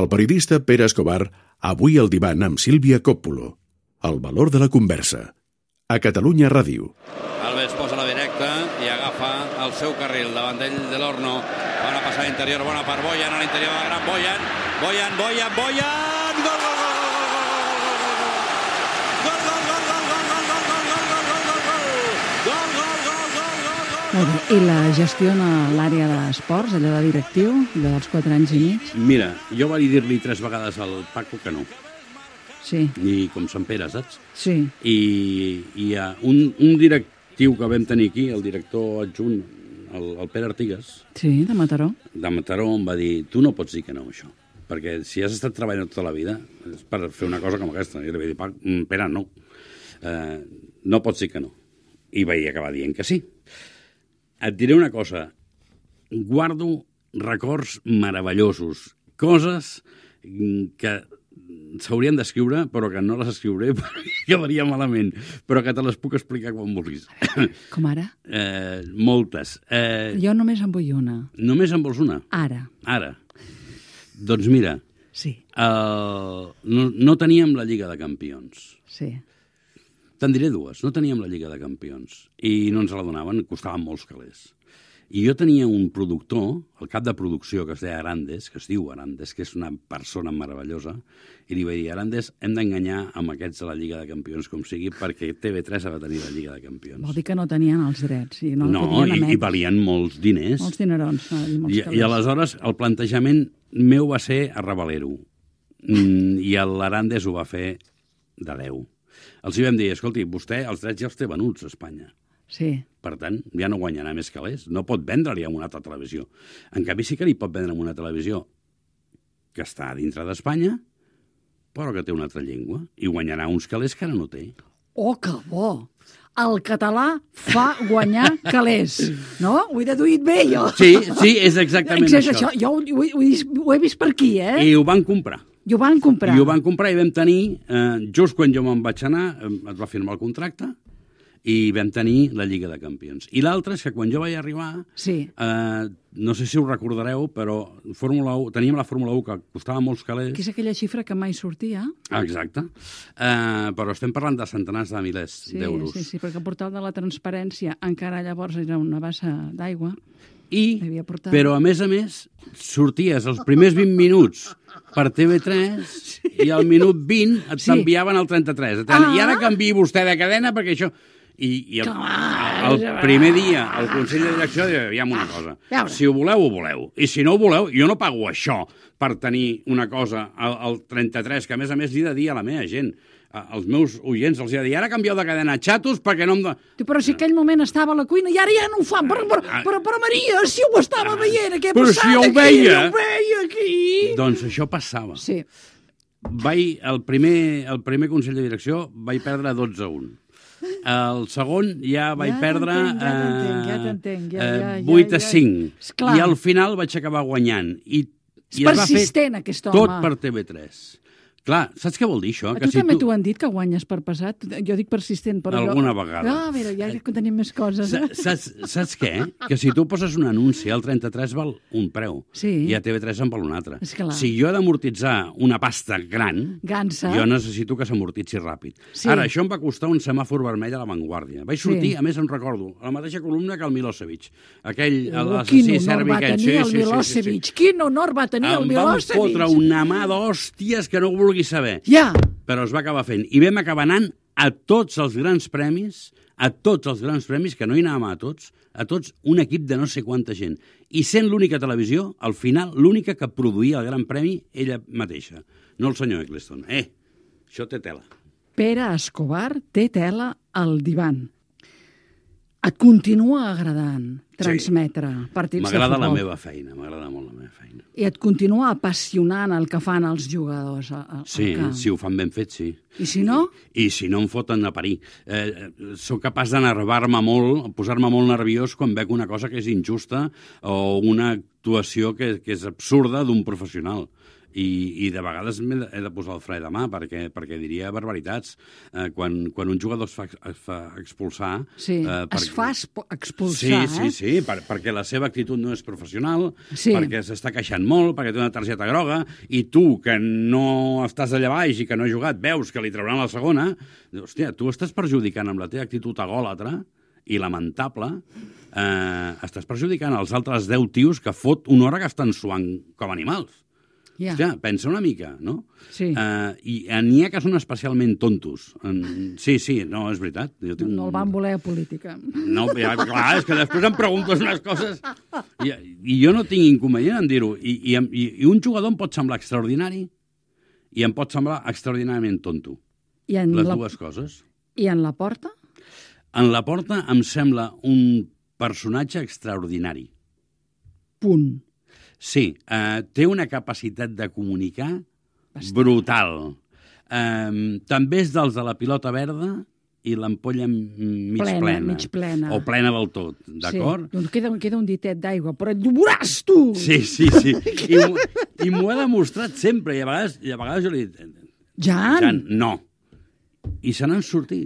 El periodista Pere Escobar, avui al divan amb Sílvia Coppulo. El valor de la conversa. A Catalunya Ràdio. Alves posa la directa i agafa el seu carril davant d'ell de l'Horno. Bona passada interior, bona per Boyan, a l'interior de la gran Boyan. Boyan! Gol, gol, gol! Molt bé. I la gestiona l'àrea d'esports, allò de directiu, allò dels 4 anys i mig? Mira, jo vaig dir-li 3 vegades al Paco que no. Sí. Ni com Sant Pere, saps? Sí. I hi ha un directiu que vam tenir aquí, el director adjunt, el Pere Artigas. Sí, de Mataró. De Mataró em va dir, tu no pots dir que no, això. Perquè si has estat treballant tota la vida és per fer una cosa com aquesta. I li vaig dir, Pere, no. No pots dir que no. I vaig acabar dient que sí. Et diré una cosa, guardo records meravellosos, coses que s'haurien d'escriure, però que no les escriuré perquè acabaria malament, però que te les puc explicar quan vulguis. Com ara? Moltes. Jo només en vull una. Només en vols una? Ara. Ara. Doncs mira, Sí. no teníem la Lliga de Campions. Sí. Te'n diré dues. No teníem la Lliga de Campions i no ens la donaven, costaven molts calés. I jo tenia un productor, el cap de producció, que es deia Arandes, que es diu Arandes, que és una persona meravellosa, i li vaig dir, Arandes, hem d'enganyar amb aquests de la Lliga de Campions com sigui, perquè TV3 ha de tenir la Lliga de Campions. Vol dir que no tenien els drets. I no i valien molts diners. Molts dinerons. I aleshores el plantejament meu va ser a Ravalero. I l'Arandes ho va fer de 10. Els hi vam dir, escolti, vostè els drets ja els té venuts a Espanya. Sí. Per tant, ja no guanyarà més calés. No pot vendre-li a una altra televisió. En canvi, sí que li pot vendre a una televisió que està dintre d'Espanya, però que té una altra llengua, i guanyarà uns calés que ara no té. Oh, que bo! El català fa guanyar calés, no? Ho he deduït bé, jo. Sí, és exactament això. Jo ho he vist per aquí, eh? I ho van comprar. I ho van comprar. I ho van comprar i vam tenir, just quan jo me'n vaig anar, es va firmar el contracte, i vam tenir la Lliga de Campions. I l'altre és que quan jo vaig arribar, sí. No sé si ho recordareu, però teníem la Fórmula 1 que costava molts calés. Que és aquella xifra que mai sortia. Exacte. Però estem parlant de centenars de milers d'euros. Sí, perquè el portal de la transparència encara llavors era una bassa d'aigua. Però, a més, sorties els primers 20 minuts per TV3 i al minut 20 et t'enviaven al 33. I ara canviï vostè de cadena perquè això... I el primer dia el Consell de Direcció diu, aviam una cosa, si ho voleu, ho voleu. I si no ho voleu, jo no pago això per tenir una cosa al 33, que a més li he de dir a la meva gent, als meus oients, els he de dir, ara canvieu de cadena, xatos, perquè no em... Però si aquell moment estava a la cuina i ara ja no ho fan. Però Maria, si ho estava veient, què ha passat? Però si jo ho veia! Jo ho veia aquí! Doncs això passava. Sí. El primer Consell de Direcció vaig perdre 12-1. El segon ja vaig perdre 8-5. I al final vaig acabar guanyant. I es va fer tot per TV3. Clar, saps què vol dir això? A tu també t'ho han dit, que guanyes per passat? Jo dic persistent, però... Alguna vegada. A veure, ja tenim més coses. Saps què? Que si tu poses un anunci, el 33 val un preu i a TV3 en val un altre. Si jo he d'amortitzar una pasta gran, jo necessito que s'amortitzi ràpid. Ara, això em va costar un semàfor vermell a La Vanguardia. Vaig sortir, a més em recordo, a la mateixa columna que el Milosevic. Aquell, l'assassí serbi aquell. Quin honor va tenir el Milosevic! Em van fotre una mà d'hòsties que no vulgui saber. Però es va acabar fent. I vam acabar anant a tots els grans premis, que no hi anàvem a tots un equip de no sé quanta gent. I sent l'única televisió, al final, l'única que produïa el gran premi, ella mateixa. No el senyor Eccleston. Això té tela. Pere Escobar té tela al divan. Et continua agradant transmetre partits de futbol? M'agrada la meva feina, m'agrada molt la meva feina. I et continua apassionant el que fan els jugadors al camp? Si ho fan ben fet, sí. I si no? I si no em foten a parir. Soc capaç d'enervar-me molt, posar-me molt nerviós quan veig una cosa que és injusta o una actuació que és absurda d'un professional. I de vegades he de posar el fre de mà perquè diria barbaritats. Quan un jugador es fa expulsar... Sí, es fa expulsar, Sí, perquè la seva actitud no és professional, perquè s'està queixant molt, perquè té una targeta groga, i tu, que no estàs allà baix i que no has jugat, veus que li trauran la segona, hòstia, tu estàs perjudicant amb la teva actitud agòlatra i lamentable, estàs perjudicant els altres 10 tios que fot una hora que estan suant com animals. Yeah. Hòstia, pensa una mica, no? Sí. I n'hi ha que són especialment tontos. Sí, no, és veritat. No el van voler a política. No, clar, és que després em preguntes unes coses i jo no tinc inconvenient en dir-ho. I un jugador em pot semblar extraordinari i em pot semblar extraordinàriament tonto. Les dues coses. I en la Porta? En la Porta em sembla un personatge extraordinari. Punt. Sí, té una capacitat de comunicar brutal. També és dels de la pilota verda i l'ampolla mig plena. O plena del tot, d'acord? Sí, doncs queda un ditet d'aigua, però et veuràs, tu! Sí. I m'ho ha demostrat sempre, i a vegades jo li he dit... Jan, no. I se n'han sortit.